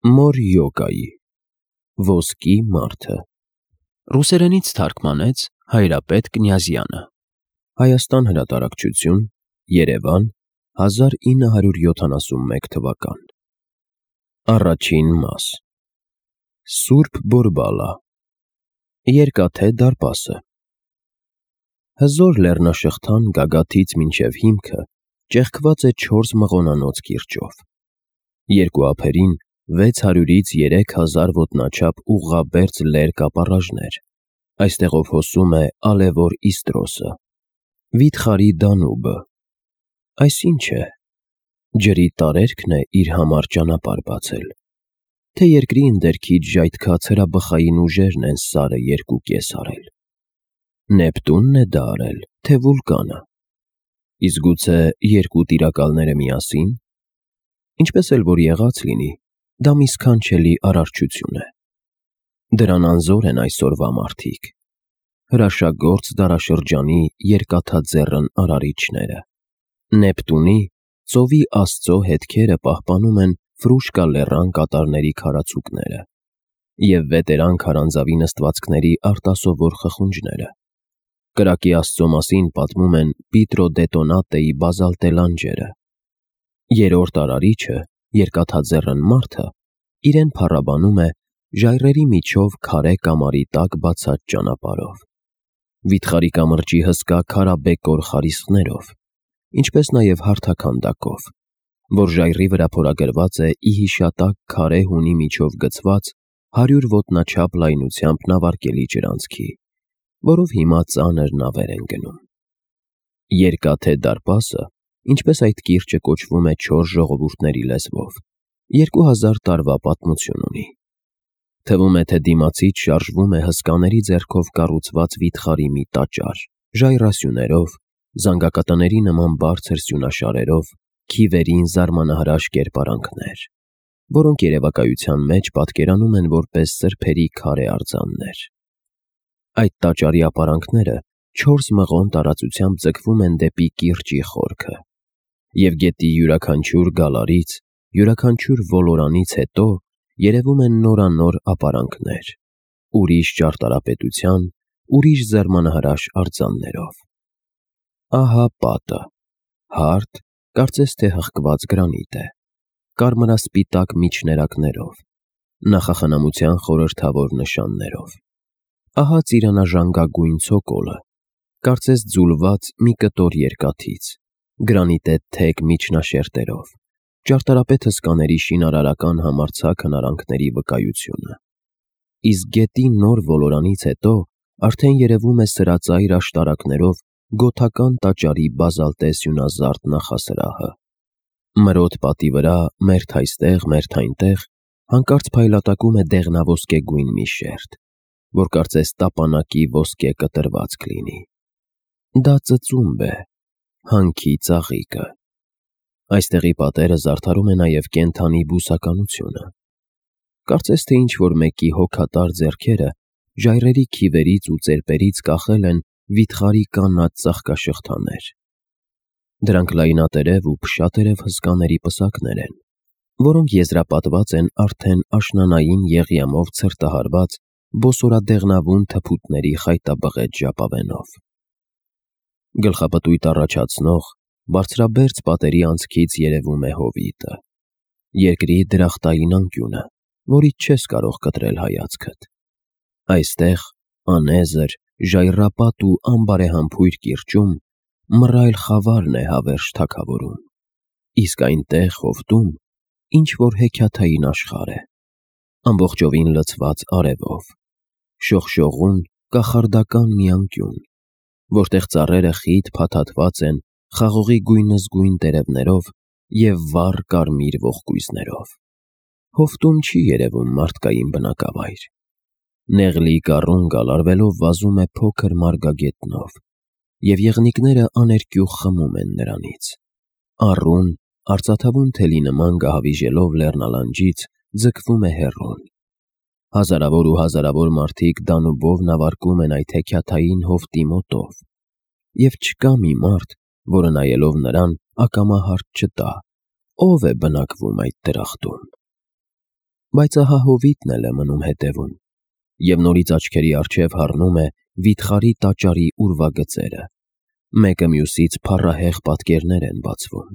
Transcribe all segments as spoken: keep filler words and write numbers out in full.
Մոր յոգայի ոսկի մարդը ռուսերենից թարգմանեց Հայրապետ Կնյազյանը Հայաստան հրատարակչություն Երևան հազար ինը հարյուր յոթանասունմեկ թվական Առաջին մաս Սուրբ Բորբալա Երկաթե դարպասը Հզոր լեռնաշղթան գագաթից մինչև հիմքը ճեղքված է չորս մղոնանոց կիրճով Երկու ափերին վեց հարյուրից երեք հազար ոտնաչափ ուղղաբերձ լեր կապառաժներ, այստեղով հոսում է ալևոր Իստրոսը, վիթխարի Դանուբը, այս ինչ է, ջրի տարերքն է իր համար ճանապարհ բացել, թե երկրի ընդերքից ժայթքած հրաբխային ուժերն են սարը երկու կես արել, Նեպտունն է դա արել, թե վուլկանը, իսկ գուցե երկու տիրակալները միասի՞ն, ինչպես էլ որ եղած լինի, դա մի սքանչելի արարչություն է, դրան անզոր են այսօրվա մարդիկ, հրաշագործ դարաշրջանի երկաթաձեռն արարիչները, Նեպտունի, ծովի աստծո հետքերը պահպանում են Ֆրուշկա լեռան կատարների քարացուկները և վետերան քարանձավի նստվածքների արտասովոր խխունջները, կրակի աստծո մասին պատմում են Պիտրո Դետոնատեի բազալտե լանջերը, երրորդ արարիչը, երկաթաձեռն մարդը, իրեն փառաբանում է ժայռերի միջով քարե կամարի տակ բացած ճանապարհով, վիթխարի կամրջի հսկա քարաբեկոր խարիսխներով, ինչպես նաև հարթաքանդակով, որ ժայռի վրա փորագրված է ի հիշատակ քարե հունի միջով գցված հարյուր ոտնաչափ լայնությամբ նավարկելի ջրանցքի, որով հիմա ծանր նավեր են գնում։ Երկաթե դարպասը, ինչպես այդ կիրճը կոչվում է չորս ժողովուրդների լեզվով, երկու հազար տարվա պատմություն ունի։ Թվում է, թե դիմացից շարժվում է հսկաների ձեռքով կառուցված վիթխարի մի տաճար, ժայռասյուներով, զանգակատների նման բարձր սյունաշարերով, քիվերին զարմանահրաշ կերպարանքներ, որոնք երևակայության մեջ պատկերանում են որպես սրբերի քարե արձաններ։ Այդ տաճարի ապարանքները չորս մղոն տարածությամբ ձգվում են դեպի կիրճի խորքը, և գետի յուրաքանչյուր գալարից, յուրաքանչյուր ոլորանից հետո երևում են նորանոր ապարանքներ, ուրիշ ճարտարապետության, ուրիշ զարմանահրաշ արձաններով։ Ահա պատը, հարթ, կարծես թե հղկված գրանիտ է, կարմրասպիտակ միջներակներով, նախախնամության խորհրդավոր նշաններով։ Ահա ծիրանաժանգագույն ցոկոլը, կարծես ձուլված մի կտոր երկաթից, գրանիտե թեք միջնաշերտերով, ճարտարապետ հսկաների շինարարական համարձակ հնարանքների վկայությունը։ Իսկ գետի նոր ոլորանից հետո արդեն երևում է սրածայր աշտարակներով գոթական տաճարի բազալտե սյունազարդ նախասրահը։ Մրոտ պատի վրա, մերթ այստեղ, մերթ այնտեղ, հանկարծ փայլատակում է դեղնաոսկեգույն մի շերտ, որ կարծես տապանակի ոսկե կտրվածք լինի։ Դա ծծումբ է, հանքի ծաղիկը։ Այստեղի պատերը զարդարում է նաև կենդանի բուսականությունը։ Կարծես թե ինչ-որ մեկի հոգատար ձեռքերը ժայռերի քիվերից ու ծերպերից կախել են վիթխարի կանաչ ծաղկաշղթաներ։ Դրանք լայնատերև ու փշատերև հսկաների պսակներ են, որոնք եզրապատված են արդեն աշնանային եղյամով ցրտահարված բոսորադեղնավուն թփուտների խայտաբղետ ժապավենով։ Գլխապտույտ առաջացնող, բարձրաբերձ պատերի անցքից երևում է հովիտը, երկրի դրախտային անկյունը, որից չես կարող կտրել հայացքդ։ Այստեղ, անեզր, ժայռապատ ու անբարեհամբույր կիրճում մռայլ խավարն է հավերժ թագավորում, իսկ այնտեղ, հովտում, ինչ-որ հեքիաթային աշխարհ է, ամբողջովին լցված արևով, շողշողուն, կախարդական մի անկյուն, որտեղ ծառերը խիտ փաթաթված են խաղողի գույնզգույն տերևներով և վառ կարմիր ողկույզներով։ Հովտում չի երևում մարդկային բնակավայր։ Նեղլիկ առուն գալարվելով վազում է փոքր մարգագետնով, և եղնիկները աներկյուղ խմում են նրանից։ Առուն, արծաթավուն թելի նման գահավիժելով լեռնալանջից, ձգվում է հեռուն։ Հազարավոր ու հազարավոր մարդիկ Դանուբով նավարկում են այդ հեքիաթային հովտի մոտով, և չկա մի մարդ, որը նայելով նրան ակամա հարց չտա, ով է բնակվում այդ դրախտում։ բայց ահա հովիտն էլ է մնում հետևում, և նորից աչքերի առջև հառնում է վիթխարի տաճարի ուրվագծերը, մեկը մյուսից փառահեղ պատկերներ են բացվում։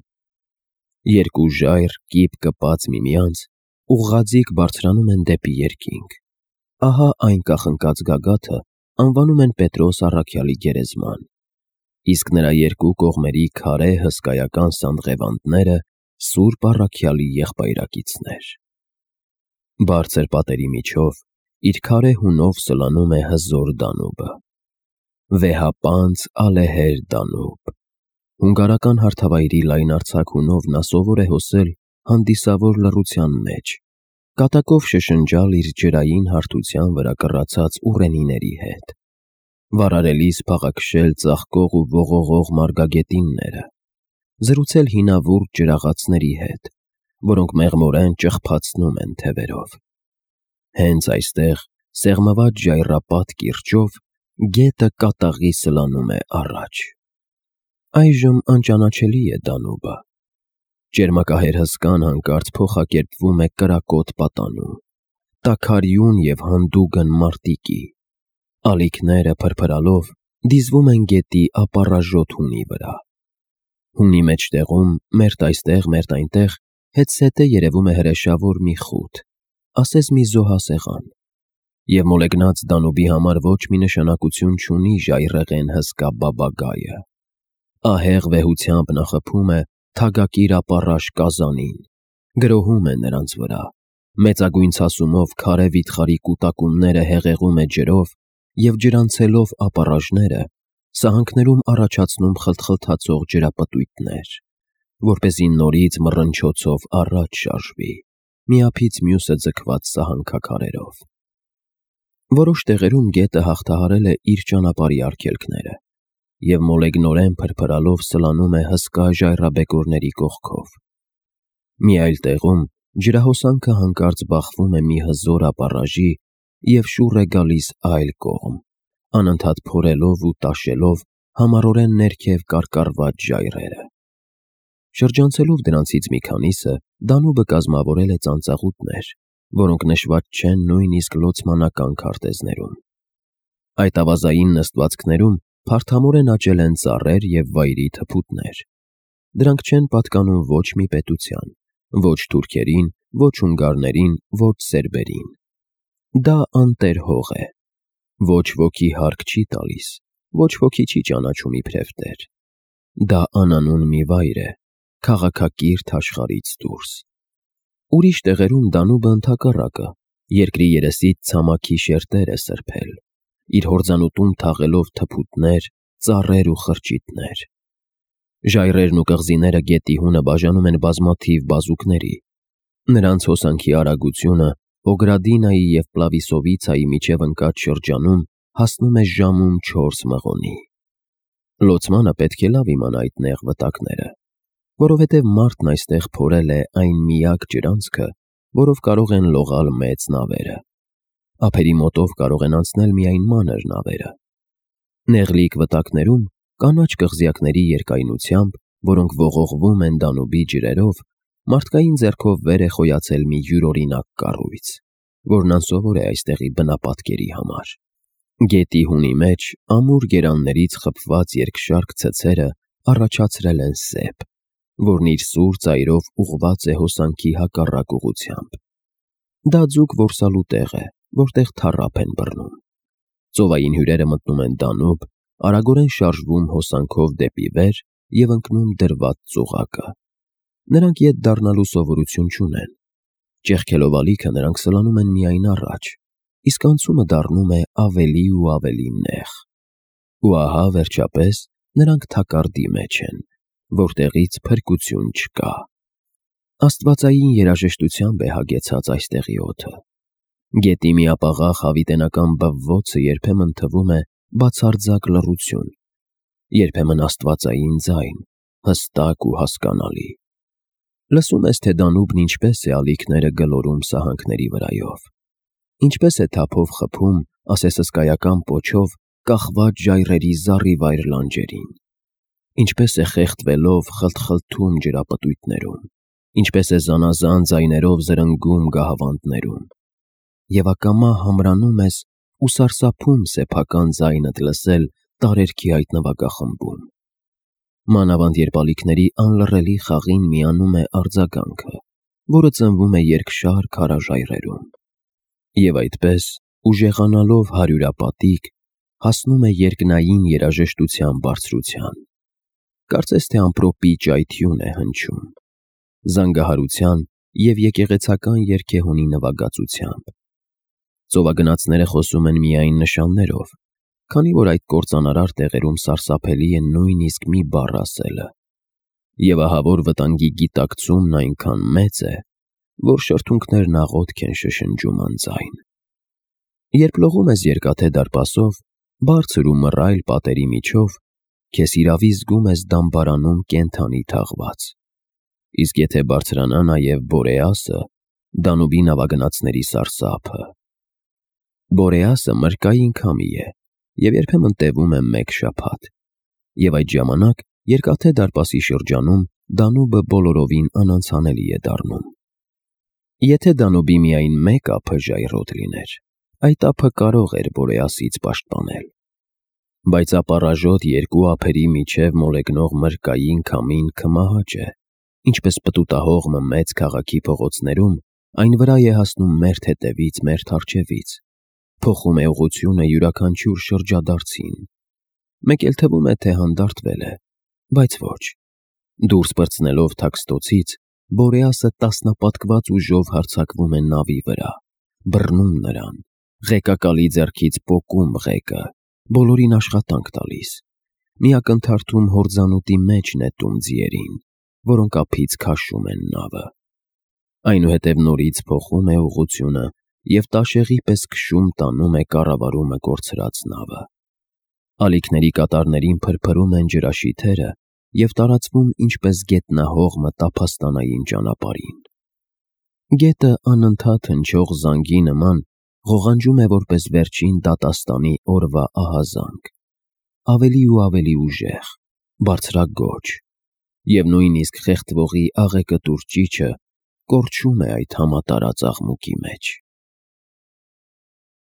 Երկու ժայռ, կիպ կպած միմյանց, ուղղաձիգ բարձրանում են դեպի երկինք։ Ահա այն կախնկած գագաթը անվանում են Պետրոս առաքյալի գերեզման, իսկ նրա երկու կողմերի քարե հսկայական սանդղևանդները Սուրբ առաքյալի եղբայրակիցներ։ Բարձր պատերի միջով իր քարե հունով սլանում է հզոր Դանուբը։ Վեհապանծ ալեհեր Դանուբ։ Հունգարական հարթավայրի լայնարձակ հունով նա սովոր է հոսել հանդիսավոր լռության մեջ, կատակով շշնջալ իր ջրային հարթության վրա կռացած ուռենիների հետ, վարարելիս փաղաքշել ծաղկող ու ողողող մարգագետինները, զրուցել հինավուրց ջրաղացների հետ, որոնք մեղմորեն ճղփացնում են թևերով։ Հենց այստեղ, սեղմված ժայռապատ կիրճով, գետը կատաղի սլանում է առաջ։ Այժմ անճանաչելի է Դանուբը։ Ճերմակահեր հսկան հանկարծ փոխակերպվում է կրակոտ պատանու, տաքարյուն և հանդուգն մարտիկի։ Ալիքները փրփրալով դիզվում են գետի ապառաժոտ հունի վրա։ Հունի մեջտեղում, մերթ այստեղ, մերթ այնտեղ, հետզհետե երևում է հրեշավոր մի խութ, ասես մի զոհասեղան, և մոլեգնած Դանուբի համար ոչ մի նշանակություն չունի ժայռերն հսկա բաբագայը։ Ահեղ վեհությամբ նա խփում է թագակիր ապառաշ կազանին, գրոհում է նրանց վրա, մեծագույն ցասումով քարե վիթխարի կուտակումները հեղեղում է ջրով և ջրանցելով ապառաժները, սահանքներում առաջացնում խլթխլթացող ջրապտույտներ, որպեսզի նորից մռնչոցով առաջ շարժվի, միափից մյուսը ձգված սահանքաքարերով։ Որոշ տեղերում գետը հաղթահարել է իր ճանապարհի արգելքները և մոլեգնորեն փրփրալով սլանում է հսկա ժայռաբեկորների կողքով։ Մի այլ տեղում ջրահոսանքը հանկարծ բախվում է մի հզոր ապառաժի և շուռ է գալիս այլ կողմ, անընդհատ փորելով ու տաշելով համառորեն ներքև կարկառված ժայռերը։ Շրջանցելով դրանցից մի քանիսը, Դանուբը կազմավորել է ծանծաղուտներ, որոնք նշված չեն նույնիսկ լոցմանական քարտեզներում։ Այդ ավազային նստվածքներում փարթամորեն աճել են ծառեր և վայրի թփուտներ։ Դրանք չեն պատկանում ոչ մի պետության, ոչ թուրքերին, ոչ հունգարներին, ոչ սերբերին։ Դա անտեր հող է։ Ոչ ոքի հարկ չի տալիս, ոչ ոքի չի ճանաչում իբրև տեր։ Դա անանուն մի վայր է, քաղաքակիրթ աշխարհից դուրս։ Ուրիշ տեղերում Դանուբը ընդհակառակը, երկրի երեսից ցամաքի շերտեր է սրբել, իր հորձանուտում թաղելով թփուտներ, ծառեր ու խրճիթներ։ Ժայռերն ու կղզիները գետի հունը բաժանում են բազմաթիվ բազուկների։ Նրանց հոսանքի արագությունը Օգրադինայի և Պլավիսովիցայի միջև ընկած շրջանում հասնում է ժամում չորս մղոնի։ Լոցմանը պետք է լավ իմանա այդ նեղ վտակները, որովհետև մարդն այստեղ փորել է այն միակ ջրանցքը, որով կարող են լողալ մեծ նավերը։ Ափերի մոտով կարող են անցնել միայն մանր նավերը։ Նեղլիկ վտակներում, կանաչ կղզյակների երկայնությամբ, որոնք ողողվում են Դանուբի ջրերով, մարդկային ձեռքով վեր է խոյացել մի յուրօրինակ կառույց, որն անսովոր է այստեղի բնապատկերի համար։ Գետի հունի մեջ ամուր գերաններից խփված երկշարք ցցերը առաջացրել են սեպ, որն իր սուր ծայրով ուղղված է հոսանքի հակառակ ուղղությամբ։ Դա ձուկ որսալու տեղ է, որտեղ թառափ են բռնում։ Ծովային հյուրերը մտնում են Դանուբ, արագորեն շարժվում հոսանքով դեպի վեր և ընկնում դրված ծուղակը։ Նրանք ետ դառնալու սովորություն չունեն։ Ճեղքելով ալիքը նրանք սլանում են միայն առաջ, իսկ անցումը դառնում է ավելի ու ավելի նեղ։ Ու ահա, վերջապես, նրանք թակարդի մեջ են, որտեղից փրկություն չկա։ Աստվածային երաժշտությամբ է հագեցած այստեղի օդը։ Գետի միապաղաղ հավիտենական բվվոցը երբեմն թվում է բացարձակ լռություն, երբեմն աստվածային ձայն, հստակ ու հասկանալի։ Լսում ես, թե Դանուբն ինչպես է ալիքները գլորում սահանքների վրայով, ինչպես է թափով խփում, ասես հսկայական պոչով, կախված ժայռերի զառիվայր լանջերին, ինչպես է խեղդվելով խլթխլթում ջրապտույտներում, ինչպես է զանազան ձայներով զրնգում գահավանդներում, և ակամա համրանում ես ու սարսափում սեփական ձայնդ լսել տարերքի այդ նվագախմբում։ Մանավանդ երբ ալիքների անլռելի խաղին միանում է արձագանքը, որը ծնվում է երկշար քարաժայռերում, և այդպես, ուժեղանալով հարյուրապատիկ, հասնում է երկնային երաժշտության բարձրության, կարծես թե ամպրոպի ճայթյուն է հնչում, զանգահարության և եկեղեցական երգեհոնի նվագածությամբ։ Ծովագնացները խոսում են միայն նշաններով, քանի որ այդ կործանարար տեղերում սարսափելի է նույնիսկ մի բառ ասելը, և ահավոր վտանգի գիտակցումն այնքան մեծ է, որ շրթունքներն աղոթք են շշնջում անձայն։ Երբ լողում ես Երկաթե դարպասով, բարձր ու մռայլ պատերի միջով, քեզ հիրավի զգում ես դամբարանում կենդանի թաղված, իսկ եթե բարձրանա նաև Բորեասը, Դանուբի նավագնացների սարսափը։ Բորեասը մրրկային քամի է և երբեմն տևում է մեկ շաբաթ, և այդ ժամանակ Երկաթե դարպասի շրջանում Դանուբը բոլորովին անանցանելի է դառնում։ Եթե Դանուբի միայն մեկ ափը ժայռոտ լիներ, այդ ափը կարող էր Բորեասից պաշտպանել, բայց ապառաժոտ երկու ափերի միջև մոլեգնող մրրկային քամին քմահաճ է, ինչպես պտուտահող մեծ քաղաքի փողոցներում այն վրա է հասնում մերթ հետևից մերթ առջևից, փոխում է ուղղությունը յուրաքանչյուր շրջադարձին, մեկ էլ թվում է, թե հանդարտվել է, բայց ոչ, դուրս պրծնելով թաքստոցից, Բորեասը տասնապատկված ուժով հարձակվում է նավի վրա, բռնում նրան, ղեկակալի ձեռքից պոկում ղեկը, բոլորին աշխատանք տալիս, մի ակնթարթում հորձանուտի մեջ նետում ձիերին, որոնք ափից քաշում են նավը, այնուհետև նորից փոխում է ուղղությունը և տաշեղի պես քշում տանում է կառավարումը կորցրած նավը։ Ալիքների կատարներին փրփրում են ջրաշիթերը և տարածվում ինչպես գետնահողմը տափաստանային ճանապարհին։ Գետը անընդհատ հնչող զանգի նման ղողանջում է որպես վերջին դատաստանի օրվա ահազանգ, ավելի ու ավելի ուժեղ, բարձրաձոչ, և նույնիսկ խեղդվողի աղեկտուր ճիչը կորչում է այդ համատարած աղմուկի մեջ։